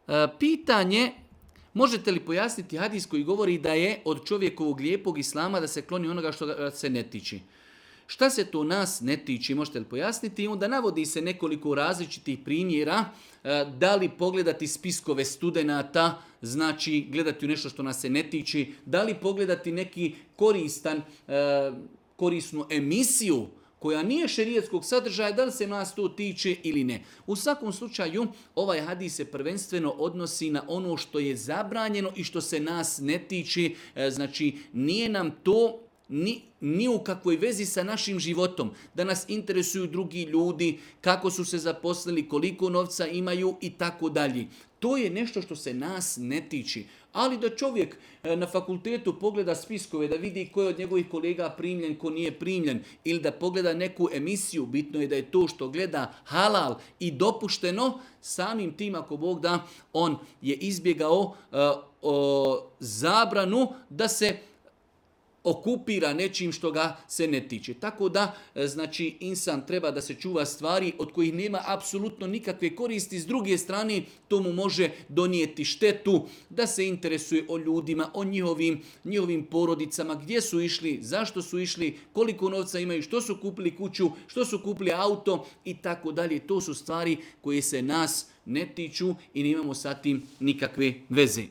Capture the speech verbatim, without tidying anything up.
E, pitanje, možete li pojasniti hadis koji govori da je od čovjekovog lijepog islama da se kloni onoga što ga se ne tiči? Šta se to nas ne tiči, možete li pojasniti? I onda navodi se nekoliko različitih primjera, e, da li pogledati spiskove studenata, znači gledati u nešto što nas se ne tiči, da li pogledati neki koristan, e, korisnu emisiju koja nije šerijatskog sadržaja, da li se nas to tiče ili ne. U svakom slučaju, ovaj hadis se prvenstveno odnosi na ono što je zabranjeno i što se nas ne tiče, e, znači nije nam to Ni, ni u kakvoj vezi sa našim životom, da nas interesuju drugi ljudi, kako su se zaposlili, koliko novca imaju i tako dalje. To je nešto što se nas ne tiče. Ali da čovjek na fakultetu pogleda spiskove, da vidi ko je od njegovih kolega primljen, ko nije primljen, ili da pogleda neku emisiju, bitno je da je to što gleda halal i dopušteno, samim tim ako Bog da, on je izbjegao uh, o, zabranu da se okupira nečim što ga se ne tiče. Tako da, znači, insan treba da se čuva stvari od kojih nema apsolutno nikakve koristi. S druge strane, to mu može donijeti štetu, da se interesuje o ljudima, o njihovim, njihovim porodicama, gdje su išli, zašto su išli, koliko novca imaju, što su kupili kuću, što su kupili auto i tako dalje. To su stvari koje se nas ne tiču i nemamo sa tim nikakve veze.